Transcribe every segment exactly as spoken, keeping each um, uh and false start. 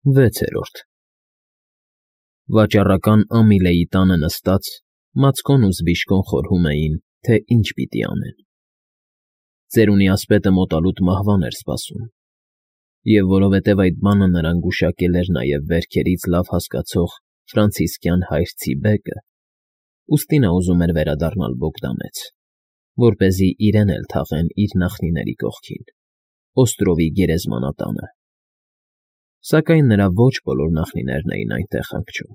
Վեցերորդ Վաճառական Ամիլեի տանը նստած՝ Մացկոն ու Զբիշկոն խորհում էին, թե ինչ պիտի անեն. ծերունի ասպետը մոտալուտ մահվան էր սպասում, և որովհետև այդ բանը նրան գուշակել էր նաև վերքերից լավ հասկացող ֆրանցիսկյան հայր Ցիբեկը, ուստի նա ուզում էր վերադառնալ Բոգդանեց, որպեսզի իրեն էլ թաղեն իր նախնիների կողքին, Օստրովի գերեզմանատանը. սակայն նրա ոչ բոլոր նախնիներն էին այնտեղ հանգչում.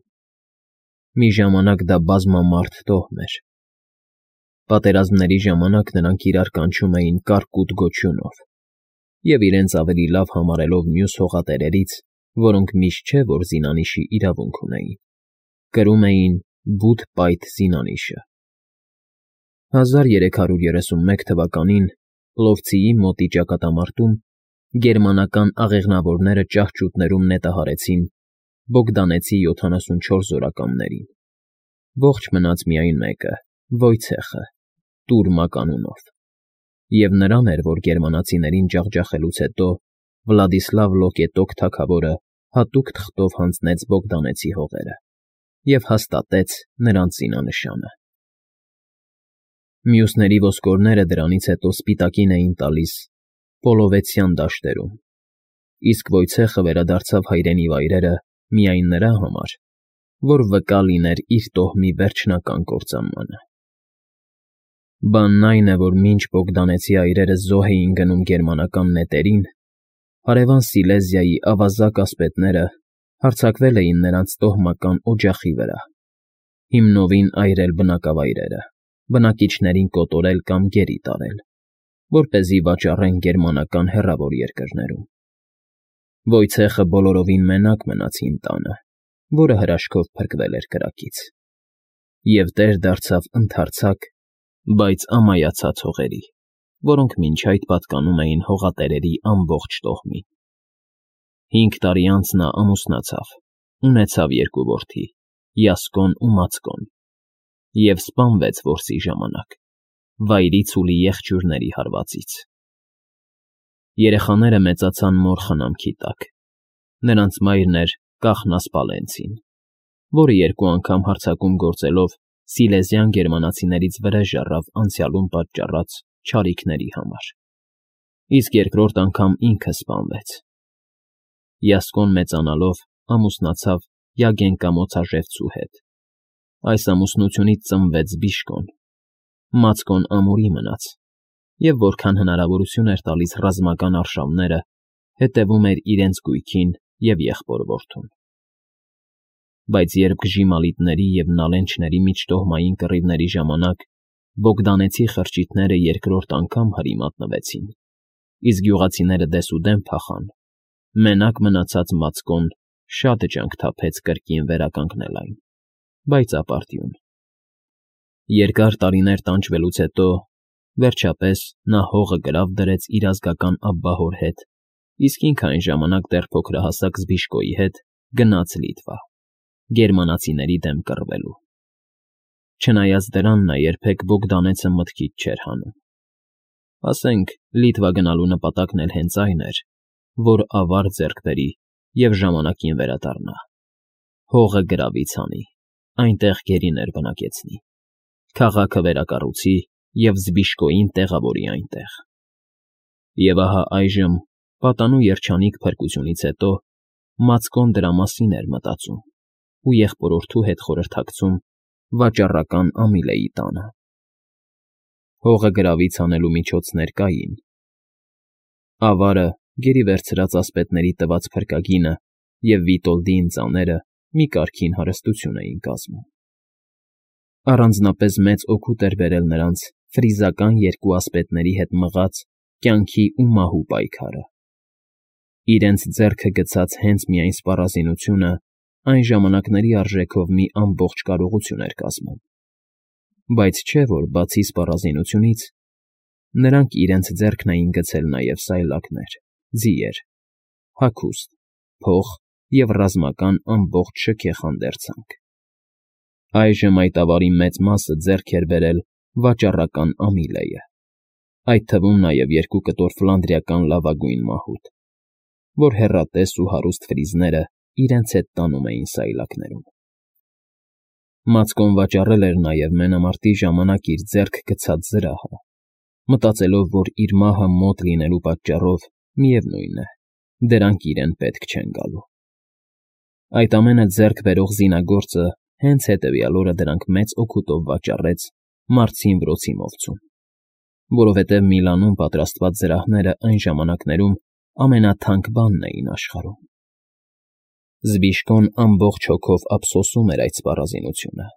մի ժամանակ դա բազմամարդ տոհմ էր. պատերազմների ժամանակ նրանք իրար կանչում էին Կարկուտ գոչյունով և իրենց ավելի լավ համարելով մյուս հողատերերից, որոնք միշտ չէ, որ զինանիշի իրավունք ունեին, կրում էին Բութ֊Պայթ զինանիշը։ հազար երեք հարյուր երեսունմեկ թվականին Պլովցիի մոտի ճակատամարտում գերմանական աղեղնավորները ճահճուտներում նետահարեցին Բոգդանեցի յոթանասունչորս զորակամներին, ողջ մնաց միայն մեկը՝ Վոյցեխը, Տուր մականունով, և նրան էր, որ գերմանացիներին ջախջախելուց հետո Վլադիսլավ Լոկետոկ թագավորը հատուկ թղթով հանձնեց Բոգդանեցի հողերը և հաստատեց նրանց զինանշանը։ Մյուսների ոսկորները դրանից հետո սպիտակին էին տալիս Պոլովեցյան դաշտերում, իսկ Վոյցեխը վերադարձավ հայրենի վայրերը միայն նրա համար, որ վկա լիներ իր տոհմի վերջնական կործանմանը։ Բանն այն է, որ մինչ Բոգդանեցի այրերը զոհ էին գնում գերմանական նետերին, հարևան Սիլեզիայի ավազակ ասպետները հարձակվել էին նրանց տոհմական օջախի վրա, հիմնովին այրել բնակավայրերը, բնակիչներին կոտորել կամ գերի տարել, որպեսզի վաճառեն գերմանական հեռավոր երկրներում։ Վոյցեխը բոլորովին մենակ մնաց հին տանը, որը հրաշքով փրկվել էր կրակից, և տեր դարձավ ընդարձակ, բայց ամայացած հողերի, որոնք մինչ այդ պատկանում էին հողատերերի ամբողջ տոհմին։ Հինգ տարի անց նա ամուսնացավ, ունեցավ երկու որդի՝ Յասկոն ու Մացկոն, և սպանվեց որսի ժամանակ, վայրից ու լի եղջյուրների հարվածից։ Երեխաները մեծացան մոր խնամքի տակ. նրանց մայրն էր Կախնաս Պալենցին, որը երկու անգամ հարձակում գործելով սիլեզյան գերմանացիներից վրեժ առավ անցյալում պատճառած չարիքների համար, իսկ երկրորդ անգամ ինքը սպանվեց։ Յասկոն մեծանալով ամուսնացավ Յագենկա մոցաժևցու հետ. այս ամուսնությունից ծնվեց Զբիշկոն, Մացկոն ամուրի մնաց, և որքան հնարավորություն էր տալիս ռազմական արշավները, հետևում էր իրենց գույքին և եղբոր֊որդուն։ Բայց երբ Գժիմալիտների և Նալենչների միջտոհմային կռիվների ժամանակ Բոգդանեցի խրճիթները երկրորդ անգամ հրի մատնվեցին, իսկ գյուղացիները դեսուդեն փախան, մենակ մնացած Մացկոն շատ ջանք թափեց կրկին վերականգնել այն, բայց ապարդյուն։ Երկար տարիներ տանջվելուց հետո, վերջապես, նա հողը գրավ դրեց իր ազգական աբբահոր հետ, իսկ ինքը այն ժամանակ դեռ փոքրահասակ Զբիշկոյի հետ գնաց Լիտվա՝ գերմանացիների դեմ կռվելու։ Չնայած դրան, նա երբեք Բոգդանեցը մտքից չէր հանում։ Ասենք, Լիտվա գնալու նպատակն էլ հենց այն էր, որ ավար ձեռք բերի և ժամանակին վերադառնա, հողը գրավից հանի, այնտեղ գերիներ բնակեցնի, քաղաքը վերակառուցի և Զբիշկոյին տեղավորի այնտեղ։ Եվ ահա այժմ, պատանու երջանիկ փրկությունից հետո, Մացկոն դրա մասին էր մտածում ու եղբորորդու հետ խորհրդակցում վաճառական Ամիլեի տանը։ Հողը գրավից հանելու միջոցներ կային. ավարը, գերի վերցրած ասպետների տված փրկագինը և Վիտոլդի ընծաները մի կարգին հարստություն էին կազմում։ Առանձնապես մեծ օգուտ էր բերել նրանց ֆրիզական երկու ասպետների հետ մղած կյանքի ու մահու պայքարը։ Իրենց ձեռքը գցած հենց միայն սպառազինությունը այն ժամանակների արժեքով մի ամբողջ կարողություն էր կազմում, բայց չէ՞ որ, բացի սպառազինությունից, նրանք իրենց ձեռքն էին գցել նաև սայլակներ, ձիեր, հագուստ, փող և ռազմական ամբողջ շքեղ հանդերձանք։ Այժմ այդ ավարի մեծ մասը ձեռք էր բերել վաճառական Ամիլեը, այդ թվում նաև երկու կտոր ֆլանդրիական լավագույն մահուտ, որ հեռատես ու հարուստ ֆրիզները իրենց հետ տանում էին սայլակներում։ Մացկոն վաճառել էր նաև մենամարտի ժամանակ իր ձեռք գցած զրահը, մտածելով, որ իր մահը մոտ լինելու պատճառով, միևնույն է, դրանք իրեն պետք չեն գալու։ Այդ ամենը ձեռք բերող զինագործը հենց հետևյալ օրը դրանք մեծ օգուտով վաճառեց Մարցին Վրոցի մովցուն, որովհետև Միլանում պատրաստված զրահները այն ժամանակներում ամենաթանկ բանն էին աշխարհում։ Զբիշկոն ամբողջ հոգով ափսոսում էր այդ սպառազինությունը։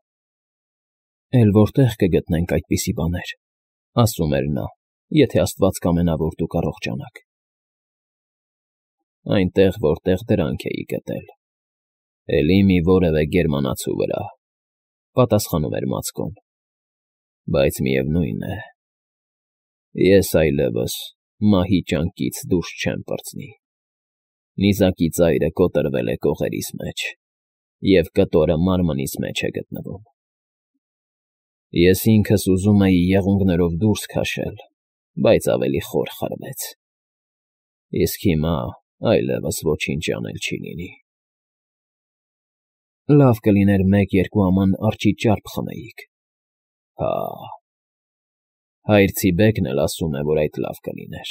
«Էլ որտե՞ղ կգտնենք այդպիսի բաներ», ասում էր նա, «եթե Աստված կամենա, որ դուք առողջանաք»։ «Այնտեղ, որտեղ դրանք էի գտել, էլի մի որևէ գերմանացու վրա», պատասխանում էր Մացկոն, «բայց միևնույն է, ես այլևս մահի ճանկից դուրս չեմ պրծնի։ Նիզակի ծայրը կոտրվել է կողերիս մեջ, և կտորը մարմնիս մեջ է գտնվում։ Ես ինքս ուզում էի եղունգներով դուրս քաշել, բայց ավելի խոր խրվեց։ Իսկ հիմա այլևս ոչինչ անել չի լինի։ Լավ կլիներ մեկ֊երկու աման արջի ճարպ խմեիք։ Հա, հայր Ցիբեկն էլ ասում է, որ այդ լավ կլիներ։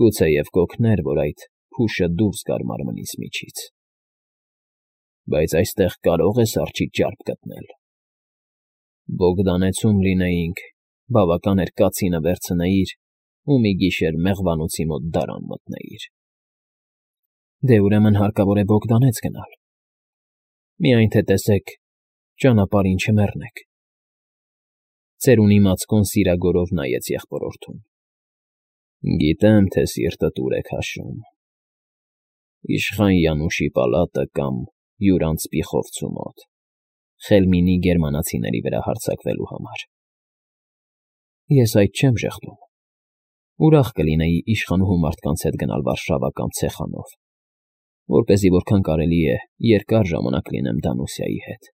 Գուցեև կօգներ, որ այդ փուշը դուրս գար մարմնիս միջից։ Բայց այստեղ կարո՞ղ ես արջի ճարպ գտնել։ Բոգդանեցում լինեինք, բավական էր կացինը վերցնեիր ու մի գիշեր մեղվանոցի մոտ դարան մտնեիր։ Դե ուրեմն հարկավոր է Բոգդանեց գնալ։ Միայն թե տեսեք, ճանապարհին չմեռնեք։ Ծերունի Մացկոն սիրագորով նայեց եղբորորդուն։ Գիտեմ, թե սիրտդ ուր է քաշում։ Իշխան Յանուշի պալատը կամ Յուրանց Պիխովցու մոտ, Խելմինի գերմանացիների վրա հարձակվելու համար։ Ես այդ չեմ ժխտում։ Ուրախ կլինեի իշխանուհու մարդկանց հետ գնալ Վարշավա կամ Ցեխանով, որպեսզի որքան կարելի է երկար ժամանակ լինեմ Դանուսիայի հետ։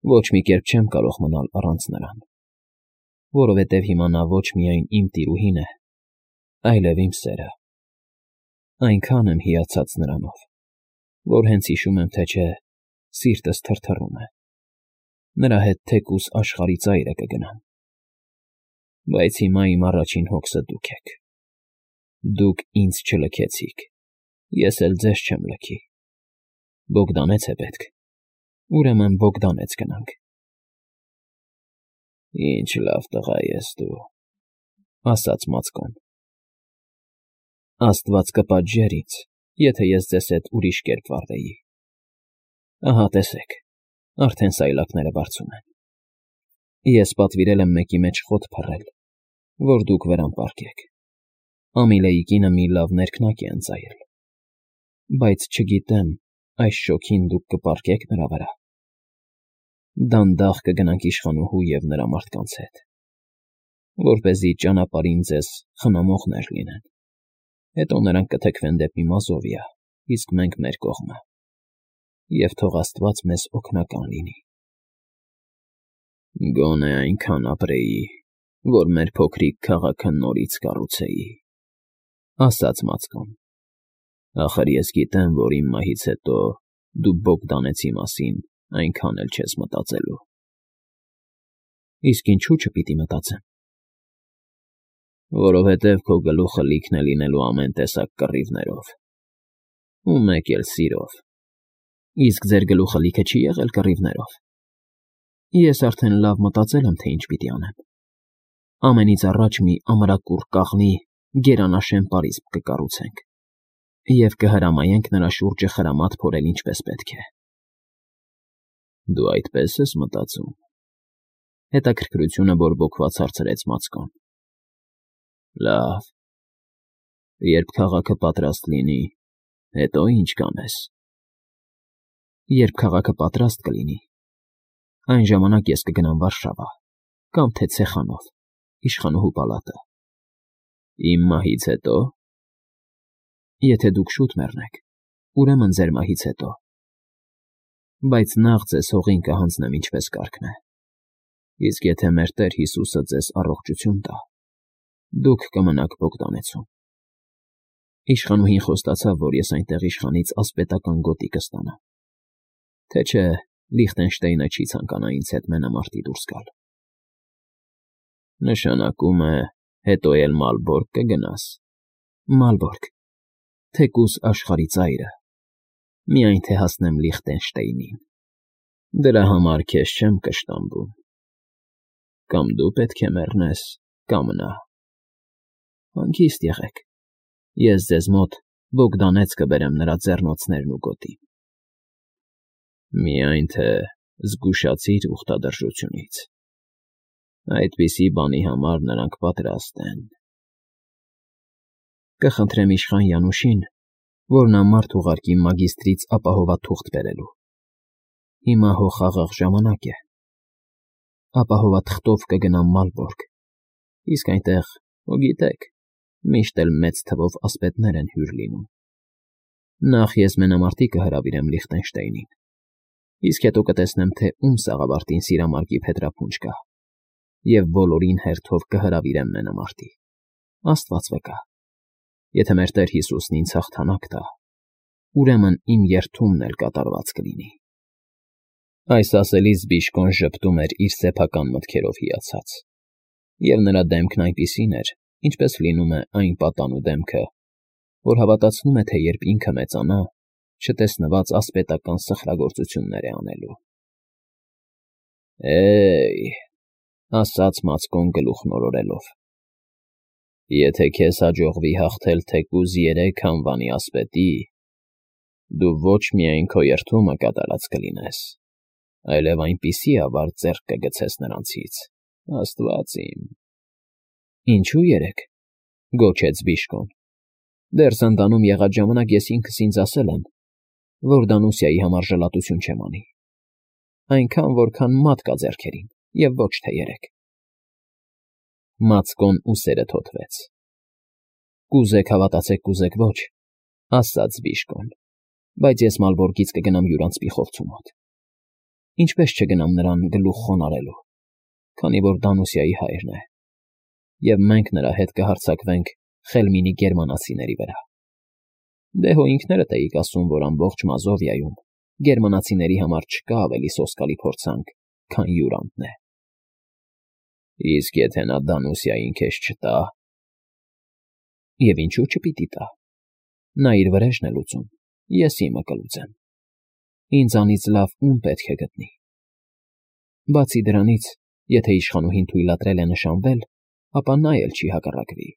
Ոչ մի կերպ չեմ կարող մնալ առանց նրան, որովհետև հիմա նա ոչ միայն իմ տիրուհին է, այլև իմ սերը։ Այնքան եմ հիացած նրանով, որ հենց հիշում եմ, թե չէ, սիրտս թրթռում է։ Նրա հետ թեկուզ աշխարհի ծայրը կգնամ։ Բայց հիմա իմ առաջին հոգսը դուք եք։ Դուք ինձ չլքեցիք, ես էլ ձեզ չեմ լքի։ Բոգդանեց է պետք, ուրեմն Բոգդանեց գնանք։ Ինչ լավ տղա ես դու, ասաց Մացկոն։ Աստված կպատժեր ինձ, եթե ես ձեզ հետ ուրիշ կերպ վարվեի։ Ահա տեսեք, արդեն սայլակները բարձում են։ Ես պատվիրել եմ մեկի մեջ խոտ փռել, որ դուք վրան պառկեք։ Ամիլեի կինը մի լավ ներքնակ է ընծայել։ Բայց չգիտեմ, այս շոգին դուք կպառկեք նրա վրա։ Դանդաղ կգնանք իշխանուհու և նրա մարդկանց հետ, որպեսզի ճանապարհին ձեզ խնամողներ լինեն։ Հետո նրանք կթեքվեն դեպի Մազովիա, իսկ մենք մեր կողմը։ Եվ թող Աստված մեզ օգնական լինի։ Գոնե այնքան ապրեի, որ մեր փոքրիկ քաղաքը նորից կառուցեի, ասաց Մացկոն։ Ախր ես գիտեմ, որ իմ մահից հետո դու Բոգդանեցի մասին այնքան էլ չես մտածելու։ Իսկ ինչու՞ չպիտի մտածեմ։ Որովհետև քո գլուխը լիքն է լինելու ամեն տեսակ կռիվներով, ու մեկ էլ սիրով։ Իսկ ձեր գլուխը լիքը չի եղել կռիվներով։ Ես արդեն լավ մտածել եմ, թե ինչ պիտի անեմ։ Ամենից առաջ մի ամրակուռ կաղնի գերանաշեն պարիսպ կկառուցենք և կհրամայենք նրա շուրջը խրամատ փորել ինչպես պետք է։ Դու այդպես ես մտածում։ Հետաքրքրությունը բորբոքված հարցրեց Մացկոն։ Լավ։ Երբ քաղաքը պատրաստ լինի, հետո ինչ կանես։ Երբ քաղաքը պատրաստ կլինի, այն ժամանակ ես կգնամ Վարշավա, կամ թե Ցեխանով, իշխանուհու պալատը։ Իմ մահից հետո։ Եթե դուք շուտ մեռնեք, ուրեմն ձեր մահից հետո։ Բայց նախ ձեզ հողին կհանձնեմ ինչպես կարգն է։ Իսկ եթե մեր Տեր Հիսուսը ձեզ առողջություն տա, դուք կմնաք Բոգդանեցում։ Իշխանուհին խոստացավ, որ ես այնտեղ իշխանից ասպետական գոտի կստանամ, թե չէ Լիխտենշտեյնը չի ցանկանա ինձ հետ մենամարտի դուրս գալ։ Նշանակում է, հետո էլ Մալբորգ կգնաս։ Մալբորգ, թեկուզ աշխարհի ծայրը, միայն թե հասնեմ Լիխտենշտեյնին։ Դրա համար քեզ չեմ կշտամբում։ Կամ դու պետք է մեռնես, կամ նա։ Հանգիստ եղեք, ես ձեզ մոտ Բոգդանեց կբերեմ նրա ձեռնոցներն ու գոտին։ Միայն թե զգուշացիր ուխտադրժությունից։ Այդպիսի բանի համար նրանք պատրաստ են։ Կխնդրեմ իշխան Յանուշին, որ նա մարդ ուղարկի մագիստրից ապահովաթուղթ բերելու։ Հիմա հո խաղաղ ժամանակ է։ Ապահովաթղթով կգնամ Մալբորգ, իսկ այնտեղ, հո գիտեք, միշտ էլ մեծ թվով ասպետներ են հյուր լինում։ Նախ ես մենամարտի կհրավիրեմ Լիխտենշտեյնին, իսկ հետո կտեսնեմ, թե ում սաղավարտին սիրամարգի փետրափունջ կա, և բոլորին հերթով կհրավիրեմ մենամարտի։ Աստված վկա, եթե մեր Տեր Հիսուսն ինձ հաղթանակ տա, ուրեմն իմ երդումն էլ կատարված կլինի։ Այս ասելիս Բիժկոն ժպտում էր իր սեփական մտքերով հիացած, և նրա դեմքն այնպիսին էր, ինչպես լինում է այն պատանու դեմքը, որ հավատացնում է, թե երբ ինքը մեծանա, չտեսնված ասպետական սխրագործություններ է անելու։ Է՜յ,֊ ասաց Մացկոն գլուխն օրորելով,֊ եթե քեզ հաջողվի հաղթել թեկուզ երեք անվանի ասպետի, դու ոչ միայն քո երդումը կատարած կլինես, այլև այնպիսի ավարտ ձեռք կգցես նրանցից, աստված իմ… Ինչո՞ւ երեք,֊ գոչեց Բիժկոն։ Դեռ Զնդանում եղած ժամանակ ես ինքս ինձ ասել եմ, որ Դանուսիայի համար ժլատություն չեմ անի, այնքան, որքան մատ կա ձեռքերին, և ոչ թե երեք։ Մացկոն ուսերը թոթվեց։ Կուզեք հավատացեք, կուզեք ոչ, ասաց Բիժկոն, բայց ես Մալբորգից կգնամ յուրանցքի խովցու մոտ։ Ինչպես չգնամ նրան գլուխ խոնարհելու, քանի որ Դանուսիայի հայրն է, և մենք նրա հետ կհարձակվենք Խելմինի գերմանացիների վրա։ Դե հո ինքներդ էիք ասում, որ ամբողջ Մազովիայում գերմանացիների համար չկա ավելի սոսկալի փորձանք, քան յուրանտն է։ Իսկ եթե նա Դանուսիային քեզ չտա… Եվ ինչու չպիտի տա։ Նա իր վրեժն է լուծում, ես իմը կլուծեմ։ Ինձանից լավ ում պետք է գտնի։ Բացի դրանից, եթե իշխանուհին թույլատրել է նշանվել, ապա նա էլ չի հակառակվի։